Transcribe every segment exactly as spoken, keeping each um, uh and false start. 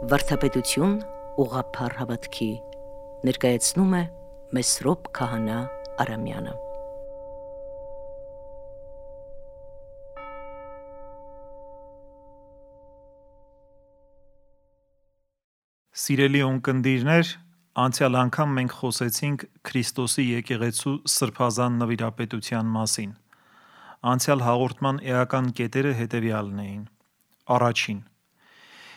Վարդապետություն ուղղափառ հավատքի ներկայացնում է Մեսրոպ Քահանա Արամյանը։ Սիրելի ունկնդիրներ, անցյալ անգամ մենք խոսեցինք Քրիստոսի եկեղեցու սրբազան նվիրապետության մասին։ Անցյալ հաղորդման էական կետերը հետևյալն էին. Առաջին.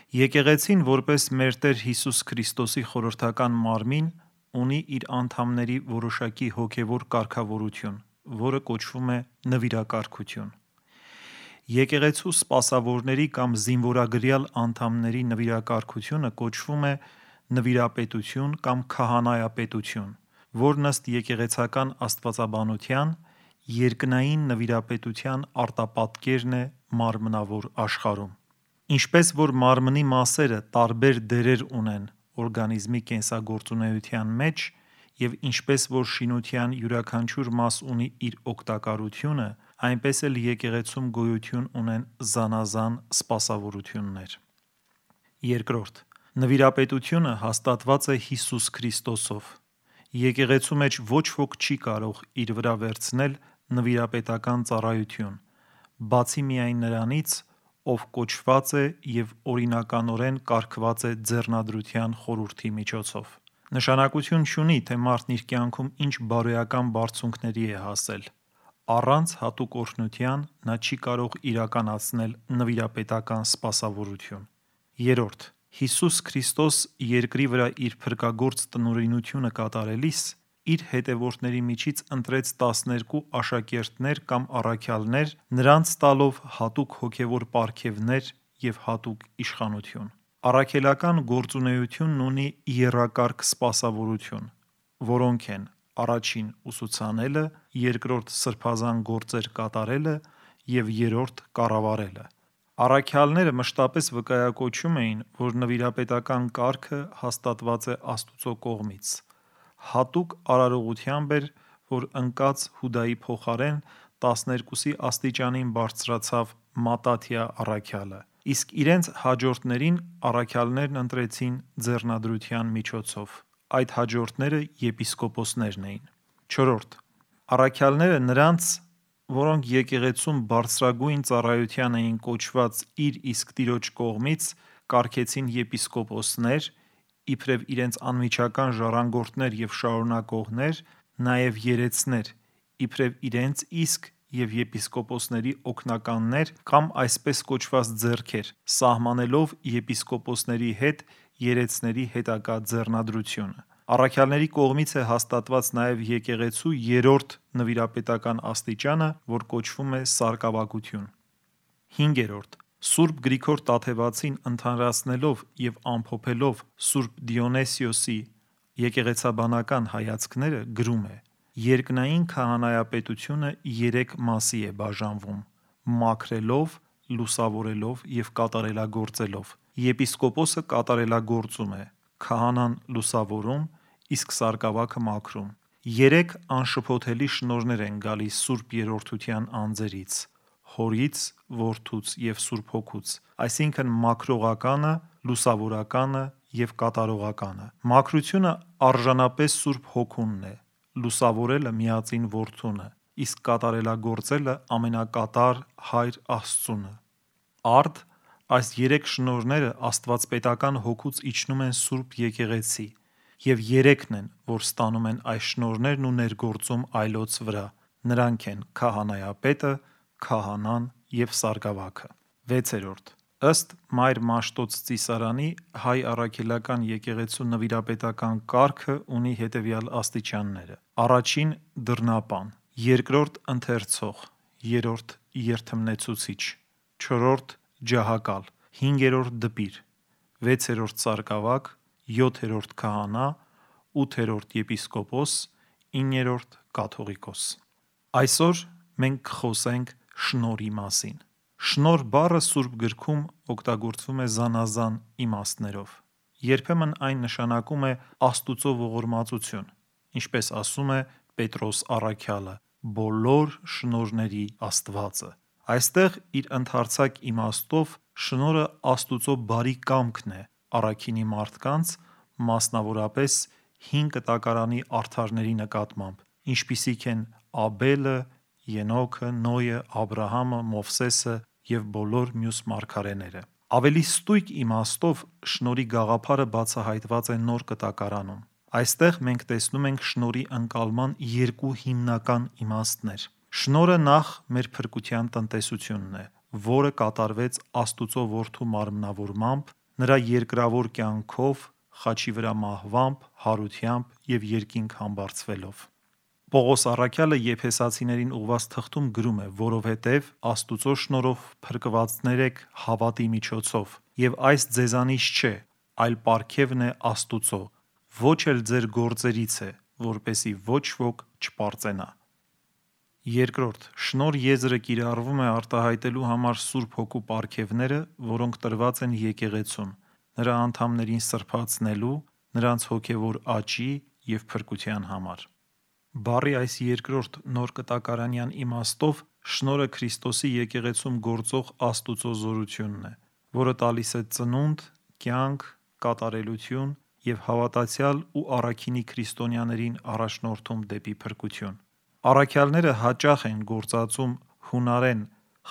Եկեղեցին որպես մեր Տեր Հիսուս Քրիստոսի խորհրդական մարմին ունի իր անդամների որոշակի հոգևոր կարգավորություն, որը կոչվում է նվիրակարգություն։ Եկեղեցու սպասավորների կամ զինվորագրյալ անդամների նվիրակարգությունը կոչվում է նվիրապետություն կամ քահանայապետություն, որն ըստ եկեղեցական աստվածաբանության երկնային նվիրապետության արտապատկերն է մարմնավոր աշխարհում։ Ինչպես որ մարմնի մասերը տարբեր դերեր ունեն օրգանիզմի կենսագործունեության մեջ, և ինչպես որ շինության յուրաքանչյուր մաս ունի իր օգտակարությունը, այնպես էլ եկեղեցում գոյություն ունեն զանազան սպասավորություններ։ Երկրորդ. Նվիրապետությունը հաստատված է Հիսուս Քրիստոսով։ Եկեղեցու մեջ ոչ ոք չի կարող իր վրա վերցնել նվիրապետական ծառայություն, բացի միայն նրանից, ով կոչված է և օրինականորեն կարգված է ձեռնադրության խորհրդի միջոցով։ Նշանակություն չունի, թե մարդն իր կյանքում ինչ բարոյական բարձունքների է հասել, առանց հատուկ օրհնության նա չի կարող իրականացնել նվիրապետական սպասավորություն։ Երրորդ. Հիսուս Քրիստոս երկրի վրա իր փրկագործ տնօրինությունը կատարելիս իր հետևորդների միջից ընտրեց տասներկու աշակերտներ կամ առաքյալներ, նրանց տալով հատուկ հոգևոր պարգևներ և հատուկ իշխանություն։ Առաքելական գործունեությունն ունի եռակարգ սպասավորություն, որոնք են. առաջին ուսուցանելը, երկրորդ սրբազան գործեր կատարելը և երրորդ կառավարելը։ Առաքյալները մշտապես վկայակոչում էին, որ նվիրապետական կարգը հաստատված է Աստծո կողմից։ Հատուկ արարողությամբ էր, որ ընկած Հուդայի փոխարեն տասներկուսի աստիճանին բարձրացավ Մատաթիա առաքյալը, իսկ իրենց հաջորդներին առաքյալներն ընտրեցին ձեռնադրության միջոցով։ Այդ հաջորդները եպիսկոպոսներն էին։ Չորրորդ. Առաքյալները նրանց, որոնք եկեղեցում բարձրագույն ծառայության էին կոչված իր իսկ Տիրոջ կողմից, կարգեցին եպիսկոպոսներ, իբրև իրենց անմիջական ժառանգորդներ և շարունակողներ, նաև երեցներ, իբրև իրենց իսկ և եպիսկոպոսների օգնականներ կամ այսպես կոչված ձեռքեր, սահմանելով եպիսկոպոսների հետ երեցների հետագա ձեռնադրությունը։ Առաքյալների կողմից է հաստատված նաև եկեղեցու երրորդ նվիրապետական աստիճանը, որ կոչվում է սարկավագություն։ Հինգերորդ. Սուրբ Գրիգոր Տաթևացին ընդհանրացնելով և ամփոփելով Սուրբ Դիոնիսիոսի եկեղեցաբանական հայացքները գրում է. երկնային քահանայապետությունը երեք մասի է բաժանվում՝ մաքրելով, լուսավորելով և կատարելագործելով։ Եպիսկոպոսը կատարելագործում է, քահանան լուսավորում, իսկ սարկավագը մաքրում։ Երեք անշփոթելի շնորհներ են գալիս Սուրբ Երրորդության անձերից՝ Հորից, Որդուց և Սուրբ Հոգուց, այսինքն մաքրողականը, լուսավորականը և կատարողականը։ Մաքրությունը արժանապես Սուրբ Հոգունն է, լուսավորելը Միածին Որդուն է, իսկ կատարելագործելը ամենակատար Հայր Աստծուն է։ Արդ այս երեք շնորհները աստվածպետական Հոգուց իջնում են Սուրբ Եկեղեցի, և երեքն են, որ ստանում են այս շնորհներն ու ներգործում այլոց վրա, նրանք են քահանայապետը, քահանան և սարկավագը։ Վեցերորդ. Ըստ Մայր Մաշտոց ծիսարանի հայ առաքելական եկեղեցու նվիրապետական կարգը ունի հետևյալ աստիճանները. առաջին դռնապան, երկրորդ ընթերցող, երրորդ երդմնեցուցիչ, չորրորդ ջահակալ, հինգերորդ դպիր, վեցերորդ սարկավագ, յոթերորդ քահանա, ութերորդ եպիսկոպոս, իններորդ կաթողիկոս։ Այսօր մենք կխոսենք շնորհի մասին։ Շնորհ բառը Սուրբ Գրքում օգտագործվում է զանազան իմաստներով։ Երբեմն այն նշանակում է Աստուծո ողորմածություն, ինչպես ասում է Պետրոս առաքյալը. բոլոր շնորհների Աստվածը։ Այստեղ իր ընդարձակ իմաստով շնորհը Աստուծո բարի կամքն է, առաքինի մարդկանց, մասնավորապես հին կտակարանի արդարների նկատմամբ, ինչպիսիք են Աբելը, Ենոքը, Նոյը, Աբրահամը, Մովսեսը և բոլոր մյուս մարգարեները։ Ավելի ստույգ իմաստով շնորհի գաղափարը բացահայտված է Նոր Կտակարանում։ Այստեղ մենք տեսնում ենք շնորհի ընկալման երկու հիմնական իմաստներ։ Շնորհը նախ մեր փրկության տնտեսությունն է, որը կատարվեց Աստուծո Որդու մարմնավորմամբ, նրա երկրավոր կյանքով, խաչի վրա մահվամբ, հարությամբ և երկինք համբարձվելով։ Պողոս առաքյալը Եփեսացիներին ուղղված թղթում գրում է. «Որովհետև Աստուծո շնորհով փրկվածներ եք հավատի միջոցով, և այս ձեզանից չէ, այլ պարգևն է Աստուծո, ոչ էլ ձեր գործերից է, որպեսզի ոչ ոք չպարծենա»։ Երկրորդ, շնորհ եզրը կիրառվում է արտահայտելու համար Սուրբ Հոգու պարգևները, որոնք տրված են եկեղեցուն, նրա անդամներին սրբացնելու, նրանց հոգևոր աճի և փրկության համար։ Բառի այս երկրորդ նոր կտակարանյան իմաստով շնորհը Քրիստոսի եկեղեցում գործող Աստուծո զորությունն է, որը տալիս է ծնունդ, կյանք, կատարելություն և հավատացյալ ու առաքինի քրիստոնյաներին առաջնորդում դեպի փրկություն։ Առաքյալները հաճախ են գործածում հունարեն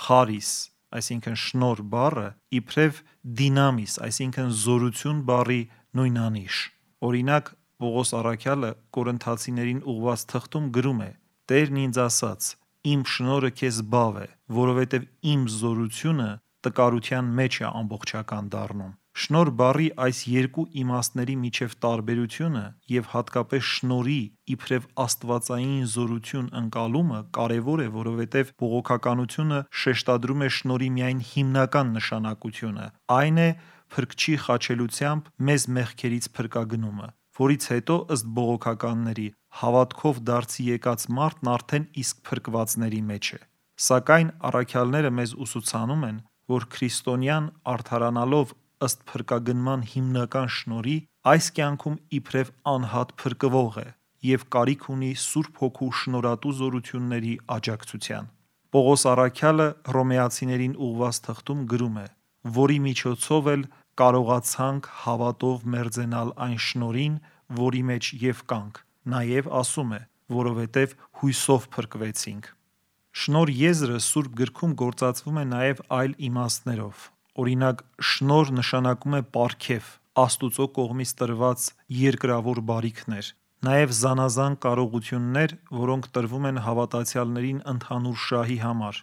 charis, այսինքն շնորհ բառը, իբրև դինամիս, այսինքն զորություն բառի նույնանիշ։ Օրինակ, Պողոս առաքյալը Կորինթացիներին ուղղված թղթում գրում է. «Տերն ինձ ասաց. իմ շնորհը քեզ բավ է, որովհետև իմ զորությունը տկարության մեջ է ամբողջական դառնում»։ Շնորհ բառի այս երկու իմաստների միջև տարբերությունը և հատկապես շնորհի իբրև աստվածային զորություն ընկալումը կարևոր է, որովհետև բողոքականությունը շեշտադրում է շնորհի միայն հիմնական նշանակությունը, այն է Փրկչի խաչելությամբ մեզ մեղքերից փրկագնումը, որից հետո, ըստ բողոքականների, հավատքով դարձի եկած մարդն արդեն իսկ փրկվածների մեջ է։ Սակայն առաքյալները մեզ ուսուցանում են, որ քրիստոնյան արդարանալով ըստ փրկագնման հիմնական շնորհի, այս կյանքում իբրև անհատ փրկվող է և կարիք ունի Սուրբ Հոգու շնորհատու զորությունների աջակցության։ Պողոս առաքյալը Հռոմեացիներին ուղղված թղթում գրում է, որի միջոցով էլ կարողացանք հավատով մերձենալ այն շնորհին, որի մեջ և կանք, նաև ասում է, որովհետև հույսով փրկվեցինք։ Շնորհ եզրը Սուրբ Գրքում գործածվում է նաև այլ իմաստներով։ Օրինակ, շնորհ նշանակում է պարգև, Աստուծո կողմից տրված երկրավոր բարիքներ, նաև զանազան կարողություններ, որոնք տրվում են հավատացյալներին ընդհանուր շահի համար,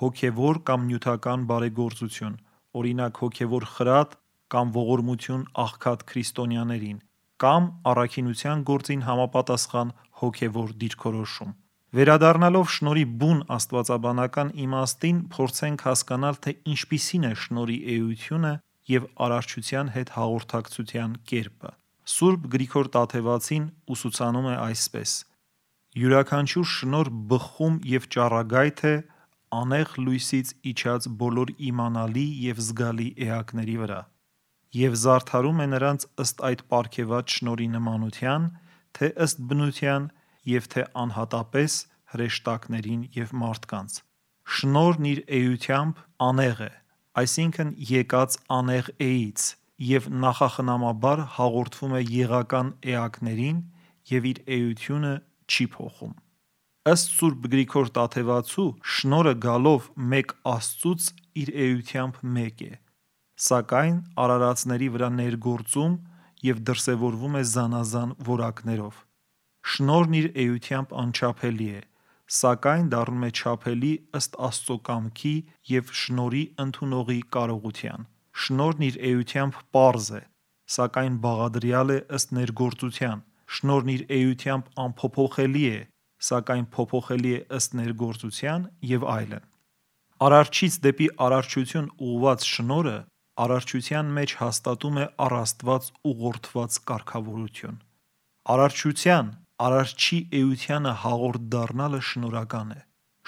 հոգևոր կամ նյութական բարեգործություն, օրինակ հոգևոր խրատ կամ ողորմություն աղքատ քրիստոնյաներին, կամ առաքինության գործին համապատասխան հոգևոր դիրքորոշում։ Վերադառնալով շնորհի բուն աստվածաբանական իմաստին, փորձենք հասկանալ, թե ինչպիսին է շնորհի էությունը և արարչության հետ հաղորդակցության կերպը։ Սուրբ Գրիգոր Տաթևացին ուսուցանում է այսպես. «Յուրաքանչյուր շնորհ բխում և ճառագայթ է անեղ լույսից իջած բոլոր իմանալի և զգալի էակների վրա և զարդարում է նրանց ըստ այդ պարգևած շնորհի նմանության, թե ըստ բնության և թե անհատապես հրեշտակներին և մարդկանց։ Շնորհն իր էությամբ անեղ է, այսինքն եկած անեղ էից և նախախնամաբար հաղորդվում է եղական էակներին և իր էությունը չի փոխում»։ Ըստ Սուրբ Գրիգոր Տաթևացու, շնորհը գալով մեկ Աստծուց իր էությամբ մեկ է, սակայն արարածների վրա ներգործում և դրսևորվում է զանազան որակներով։ Շնորհն իր էությամբ անչափելի է, սակայն դառնում է չափելի ըստ Աստծո կամքի և շնորհի ընդունողի կարողության։ Շնորհն իր էությամբ պարզ է, սակայն բաղադրյալ է ըստ ներգործության։ Շնորհն իր էությամբ անփոփոխելի է, սակայն փոփոխելի է ըստ ներգործության և այլն։ Արարչից դեպի արարչություն ուղղված շնորհը արարչության մեջ հաստատում է առ Աստված ուղղորդված կարգավորություն։ Արարչության, Արարչի էությանը հաղորդ դառնալը շնորհական է։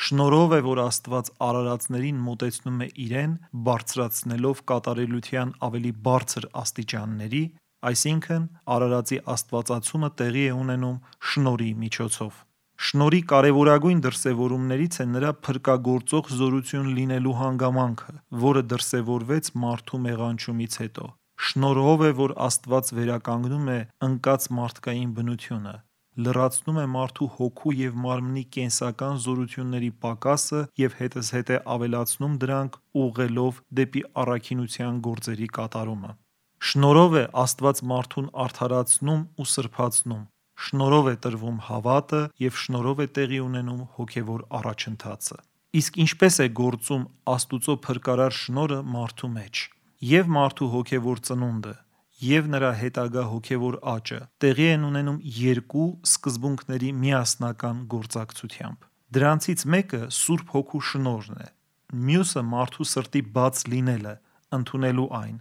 Շնորհով է, որ Աստված արարածներին մոտեցնում է Իրեն, բարձրացնելով կատարելության ավելի բարձր աստիճանների, այսինքն արարածի աստվածացումը տեղի է ունենում շնորհի միջոցով։ Շնորհի կարևորագույն դրսևորումներից է նրա փրկագործող զորություն լինելու հանգամանքը, որը դրսևորվեց մարդու մեղանչումից հետո։ Շնորհով է, որ Աստված վերականգնում է ընկած մարդկային բնությունը, լրացնում է մարդու հոգու և մարմնի կենսական զորությունների պակասը և հետզհետե ավելացնում դրանք ուղղելով դեպի առաքինության գործերի կատարումը։ Շնորհով է Աստված մարդուն արդարացնում ու սրբացնում, շնորհով է տրվում հավատը և շնորհով է տեղի ունենում հոգևոր առաջընթացը։ Իսկ ինչպես է գործում Աստուծո փրկարար շնորհը մարդու մեջ։ Եվ մարդու հոգևոր ծնունդը, և նրա հետագա հոգևոր աճը տեղի են ունենում երկու սկզբունքների միասնական գործակցությամբ։ Դրանցից մեկը Սուրբ Հոգու շնորհն է, մյուսը մարդու սրտի բաց լինելը, ընդունելու այն,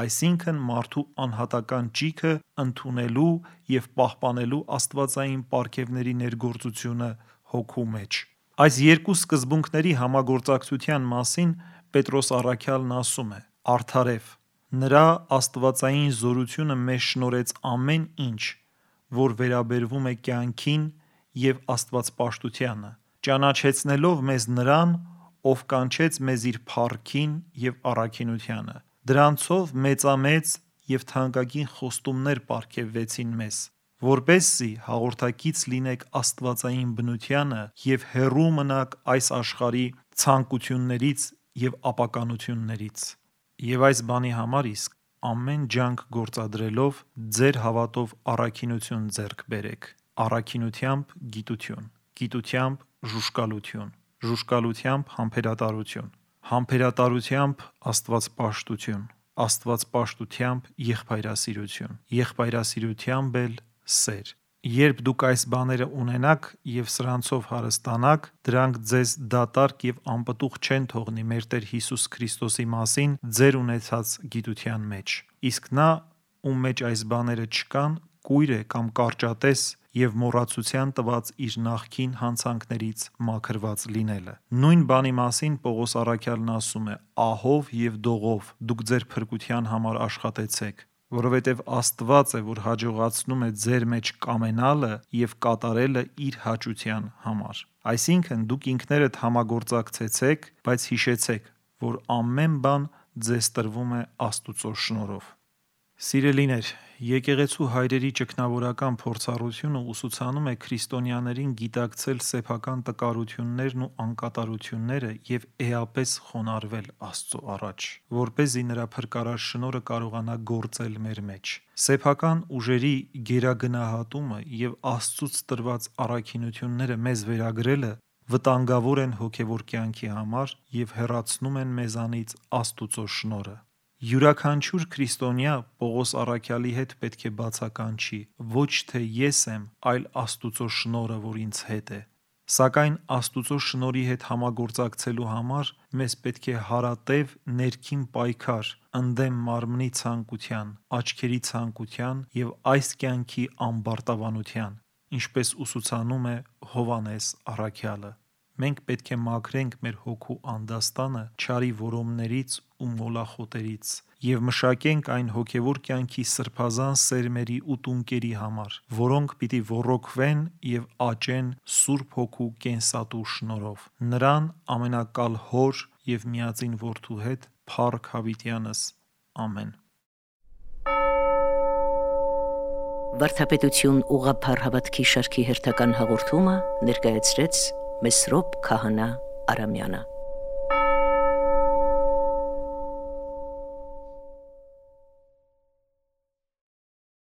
այսինքն մարդու անհատական ճիգը ընդունելու և պահպանելու աստվածային պարգևների ներգործությունը հոգու մեջ։ Այս երկու սկզբունքների համագործակցության մասին Պետրոս առաքյալն ասում է. «Արդարև, նրա աստվածային զորությունը մեզ շնորհեց ամեն ինչ, որ վերաբերվում է կյանքին և աստվածպաշտությանը, ճանաչեցնելով մեզ Նրան, ով կանչեց մեզ իր փառքին և առաքինությանը։ Դրանցով մեծամեծ և թանկագին խոստումներ պարգևվեցին մեզ, որպեսզի հաղորդակից լինենք աստվածային բնությանը և հեռու մնաք այս աշխարհի ցանկություններից և ապականություններից։ Եվ այս բանի համար իսկ ամեն ջանք գործադրելով ձեր հավատով առաքինություն ձեռք բերեք, առաքինությամբ գիտություն, գիտությամբ ժուժկալություն, ժուժկալությամբ համբերատարություն, համբերատարությամբ աստվածպաշտություն, աստվածպաշտությամբ եղբայրասիրություն, եղբայրասիրությամբ էլ սեր։ Երբ դուք այս բաները ունենաք և սրանցով հարստանաք, դրանք ձեզ դատարկ և անպտուղ չեն թողնի մեր Տեր Հիսուս Քրիստոսի մասին ձեր ունեցած գիտության մեջ։ Իսկ նա, ում մեջ այս բաները չկան, կույր է կամ կարճատես և մոռացության տված իր նախկին հանցանքներից մաքրված լինելը։ Նույն բանի մասին Պողոս առաքյալն ասում է. «Ահով և դողով դուք ձեր փրկության համար աշխատեցեք, որովհետև Աստված է, որ հաջողացնում է ձեր մեջ կամենալը և կատարելը իր հաճության համար»։ Այսինքն դուք ինքներդ համագործակցեցեք, բայց հիշեցեք, որ ամեն բան ձեզ տրվում է Աստուծո շնորհով։ Սիրելիներ, եկեղեցու հայրերի ճգնավորական փորձառությունը ուսուցանում է քրիստոնյաներին գիտակցել սեփական տկարություններն ու անկատարությունները և էապես խոնարհվել Աստծո առաջ, որպեսզի նրա փրկարար շնորհը կարողանա գործել մեր մեջ։ Սեփական ուժերի գերագնահատումը և Աստծուց տրված առաքինությունները մեզ վերագրելը վտանգավոր են հոգևոր կյանքի համար և հեռացնում են մեզանից Աստուծո շնորհը։ Յուրաքանչյուր քրիստոնյա Պողոս առաքյալի հետ պետք է բացականչի. «Ոչ թե ես եմ, այլ Աստուծո շնորհը, որ ինձ հետ է»։ Սակայն Աստուծո շնորհի հետ համագործակցելու համար մեզ պետք է հարատև ներքին պայքար ընդդեմ մարմնի ցանկության, աչքերի ցանկության և այս կյանքի ամբարտավանության, ինչպես ուսուցանում է Հովհաննես առաքյալը։ Մենք պետք է մաքրենք մեր հոգու անդաստանը չարի որոմներից ու մոլախոտերից և մշակենք այն հոգևոր կյանքի սրբազան սերմերի ու տունկերի համար, որոնք պիտի ոռոգվեն և աճեն Սուրբ Հոգու կենսատու շնորհով։ Նրան ամենակալ Հոր և միածին Որդու հետ փառք հավիտյանս։ Ամեն։ Վարդապետություն ուղղափառ հավատքի շարքի հերթական հաղորդումը ներկայացրեց Մեսրոպ Քահանա Արամյանը։